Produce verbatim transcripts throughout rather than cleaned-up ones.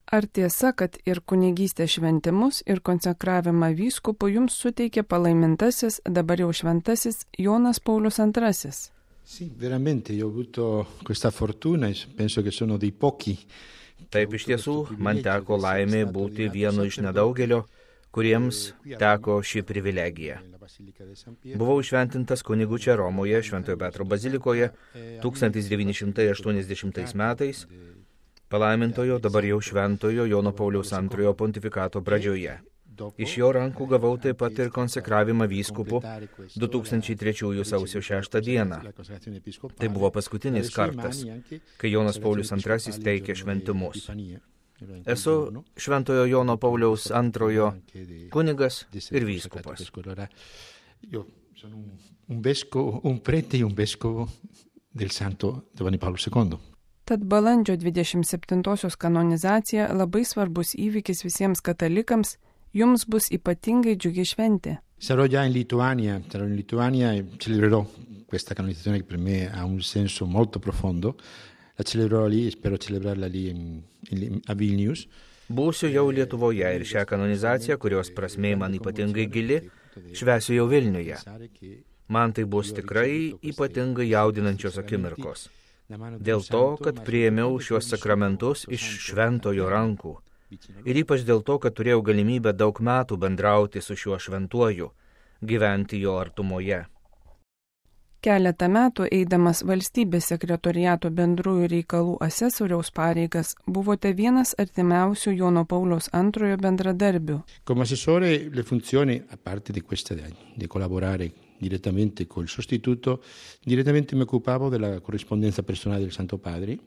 Ar tiesa, kad ir kunigystės šventimus, ir konsekravimą vyskupų jums suteikė palaimintasis, dabar jau šventasis Jonas Paulius antrasis? Sì, veramente, io ho avuto questa fortuna e penso che sono dei pochi. Taip, iš tiesų, man teko laimė būti vienu iš nedaugelio, kuriems teko ši privilegija. Buvau šventintas kunigu čia Romoje, Šventojo Petro bazilikoje, tūkstantis devyni šimtai aštuoniasdešimtais metais, palaimintojo, dabar jau šventojo Jono Pauliaus antrojo pontifikato pradžioje. Iš jo rankų gavau taip pat ir konsekravimą vyskupų du tūkstančiai trečiųjų sausio šeštą dieną. Tai buvo paskutinis kartas, kai Jonas Paulius antrasis teikė šventimus. Esu Šventojo Jono Pauliaus antrojo kunigas ir vyskupas. Un vescovo, un prete e un vescovo del Santo Giovanni Paolo secondo. Tad balandžio dvidešimt septintosios kanonizacija labai svarbus įvykis visiems katalikams, jums bus ypatingai džiugi šventė. Sarò già in Lituania, sarò in Lituania e celebrerò questa canonizzazione che per me ha un senso molto profondo. La celebrerò lì e spero celebrarla lì in, in, a Vilnius. Būsiu jau Lietuvoje ir šią kanonizaciją, kurios prasmė man ypatingai gili, švęsiu jau Vilniuje. Man tai bus tikrai ypatingai jaudinančios akimirkos. Dėl to, kad priėmiau šiuos sakramentus iš šventojo rankų. Ir ypač dėl to, kad turėjau galimybę daug metų bendrauti su šiuo šventuoju, gyventi jo artumoje. Keletą metų eidamas valstybės sekretoriato bendrųjų reikalų asesoriaus pareigas, buvote vienas artimiausių Jono Pauliaus antrojo bendradarbių. Come assessore le funzioni, a parte di questa di collaborare direttamente col sostituto, direttamente mi occupavo della corrispondenza personale del Santo Padre.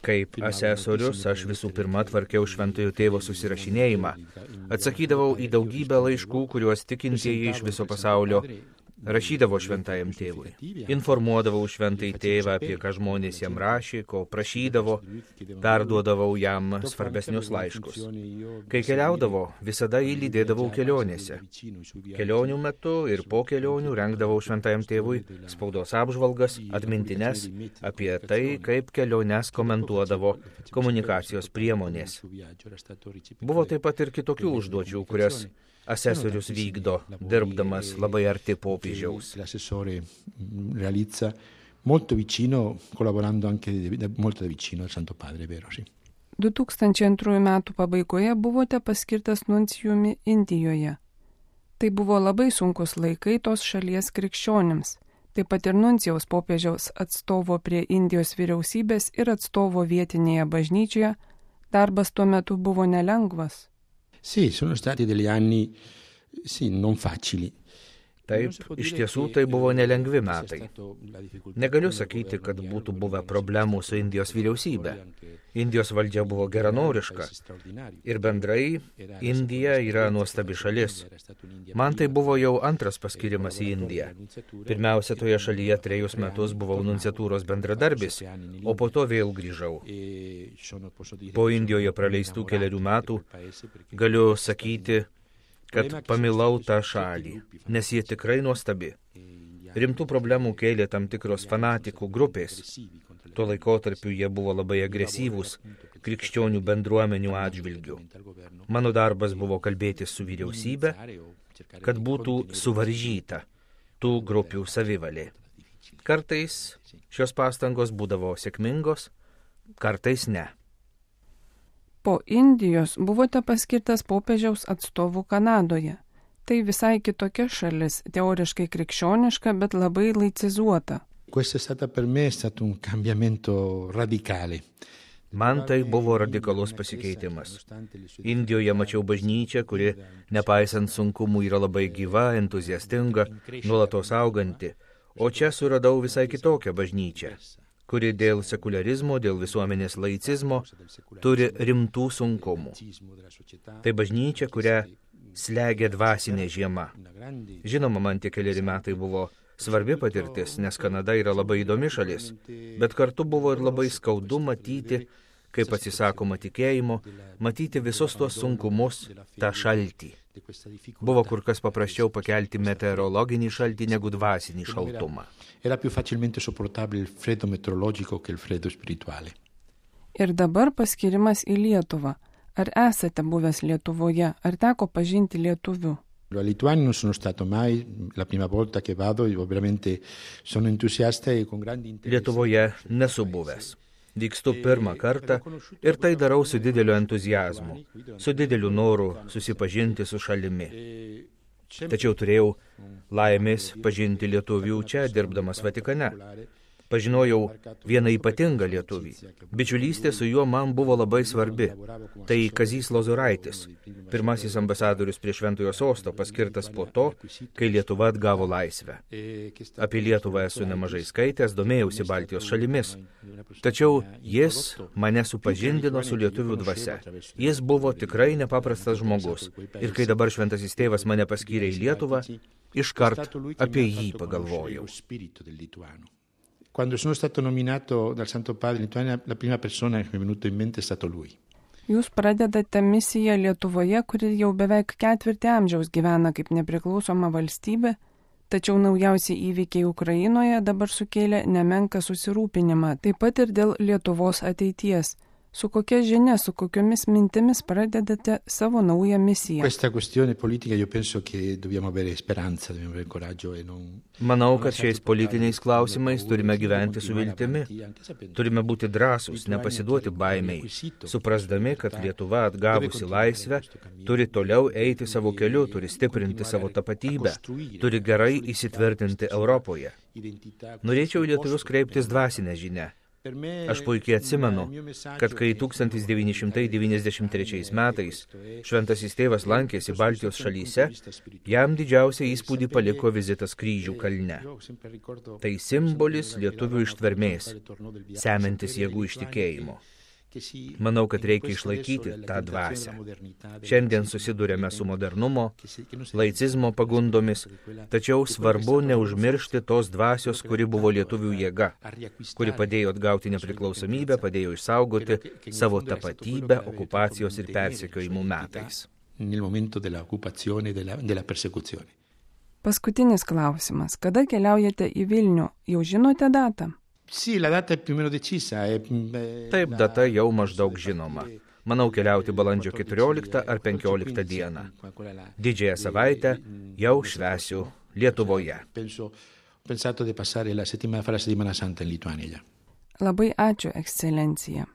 Kaip asesorius aš visų pirma tvarkiau šventojo tėvo susirašinėjimą. Atsakydavau į daugybę laiškų, kuriuos tikintieji iš viso pasaulio rašydavo šventajam tėvui. Informuodavau šventąjį tėvą, apie ką žmonės jam rašė, ko prašydavo, perduodavau jam svarbesnius laiškus. Kai keliaudavo, visada jį lydėdavau kelionėse. Kelionių metu ir po kelionių rengdavau šventajam tėvui spaudos apžvalgas, atmintines apie tai, kaip keliones komentuodavo komunikacijos priemonės. Buvo taip pat ir kitokių užduočių, kurias asesorius vykdo, dirbdamas labai arti popiežiaus. L'assessore realizza molto vicino, collaborando anche molto da vicino al Santo Padre, vero, sì. du tūkstančiai antrųjų metų pabaigoje buvote paskirtas nuncijumi Indijoje. Tai buvo labai sunkus laikai tos šalies krikščionims. Taip pat ir nuncijaus popiežiaus atstovo prie Indijos vyriausybės ir atstovo vietinėje bažnyčioje darbas tuo metu buvo nelengvas. Sì, sono stati degli anni, sì, non facili. Taip, iš tiesų tai buvo nelengvi metai. Negaliu sakyti, kad būtų buvę problemų su Indijos vyriausybė. Indijos valdžia buvo geranoriška. Ir bendrai, Indija yra nuostabi šalis. Man tai buvo jau antras paskirimas į Indiją. Pirmiausia, toje šalyje trejus metus buvau nunciatūros bendradarbis, o po to vėl grįžau. Po Indijoje praleistų keliarių metų galiu sakyti, kad pamilau tą šalį, nes jie tikrai nuostabi. Rimtų problemų kėlė tam tikros fanatikų grupės. Tuo laikotarpiu jie buvo labai agresyvūs krikščionių bendruomenių atžvilgių. Mano darbas buvo kalbėti su vyriausybė, kad būtų suvaržyta tų grupių savivalė. Kartais šios pastangos būdavo sėkmingos, kartais ne. Po Indijos buvote paskirtas popiežiaus atstovų Kanadoje. Tai visai kitokia šalis, teoriškai krikščioniška, bet labai laicizuota. Questo è stato per me è stato un cambiamento radicale. Man tai buvo radikalus pasikeitimas. Indijoje mačiau bažnyčią, kuri, nepaisant sunkumų, yra labai gyva, entuziastinga, nuolatos auganti. O čia suradau visai kitokią bažnyčią, kuri dėl sekularizmo, dėl visuomenės laicizmo turi rimtų sunkumų. Tai bažnyčia, kurią slegia dvasinė žiema. Žinoma, man tie keliari metai buvo svarbi patirtis, nes Kanada yra labai įdomi šalis, bet kartu buvo ir labai skaudu matyti, kaip atsisakoma tikėjimo, matyti visus tuos sunkumus, tą šaltį. Buvo kur kas paprasčiau pakelti meteorologinį šaltį negu dvasinį šaltumą. Era più facilmente sopportabile il freddo meteorologico che il freddo spirituale. Ir dabar paskirimas į Lietuvą. Ar esate buvęs Lietuvoje, ar teko pažinti lietuvių? A Lituania non sono stato mai, la prima volta che vado, io veramente sono entusiasta e con grande interesse. Lietuvoje nesu buvęs. Vykstu pirmą kartą ir tai darau su dideliu entuzijazmu, su dideliu noru susipažinti su šalimi. Tačiau turėjau laimės pažinti lietuvių čia, dirbdamas Vatikane. Pažinojau vieną ypatingą lietuvį. Bičiulystė su juo man buvo labai svarbi. Tai Kazys Lozoraitis, pirmasis ambasadorius prie Šventojo Sosto, paskirtas po to, kai Lietuva atgavo laisvę. Apie Lietuvą esu nemažai skaitęs, domėjausi Baltijos šalimis. Tačiau jis mane supažindino su lietuvių dvasia. Jis buvo tikrai nepaprastas žmogus. Ir kai dabar Šventasis Tėvas mane paskyrė į Lietuvą, iškart apie jį pagalvojau. Quando sono stato nominato dal Santo Padre in Lituania, la prima persona che mi è venuto in mente è stato lui. Jūs pradedate misiją Lietuvoje, kuri jau beveik ketvirtį amžiaus gyvena kaip nepriklausoma valstybė, tačiau naujausi įvykiai Ukrainoje dabar sukėlė nemenką susirūpinimą, taip pat ir dėl Lietuvos ateities. Su kokia žinia, su kokiomis mintimis pradedate savo naują misiją? Questa questione politica io penso che dobbiamo avere speranza, dobbiamo avere coraggio e non... Manau, kad šiais politiniais klausimais turime gyventi su viltimi. Turime būti drąsūs, nepasiduoti baimiai, suprasdami, kad Lietuva atgavusi laisvę turi toliau eiti savo keliu, turi stiprinti savo tapatybę, turi gerai įsitvirtinti Europoje. Norėčiau lietuvius kreiptis dvasinę žinią. Aš puikiai atsimenu, kad kai tūkstantis devyni šimtai devyniasdešimt trečiais metais Šventasis Tėvas lankėsi Baltijos šalyse, jam didžiausią įspūdį paliko vizitas Kryžių kalne. Tai simbolis lietuvių ištvermės, semiantis jėgų iš tikėjimo. Manau, kad reikia išlaikyti tą dvasią. Šiandien susidurėme su modernumo, laicizmo pagundomis, tačiau svarbu neužmiršti tos dvasios, kuri buvo lietuvių jėga, kuri padėjo atgauti nepriklausomybę, padėjo išsaugoti savo tapatybę okupacijos ir persekiojimų metais. Paskutinis klausimas. Kada keliaujate į Vilnių? Jau žinote datą? Sì, la data è più o meno decisa. È... Taip, data jau maždaug žinoma. Manau keliauti balandžio keturioliktą ar penkioliktą dieną. Didžiąją savaitę jau švęsiu Lietuvoje. Labai ačiū, ekscelencija.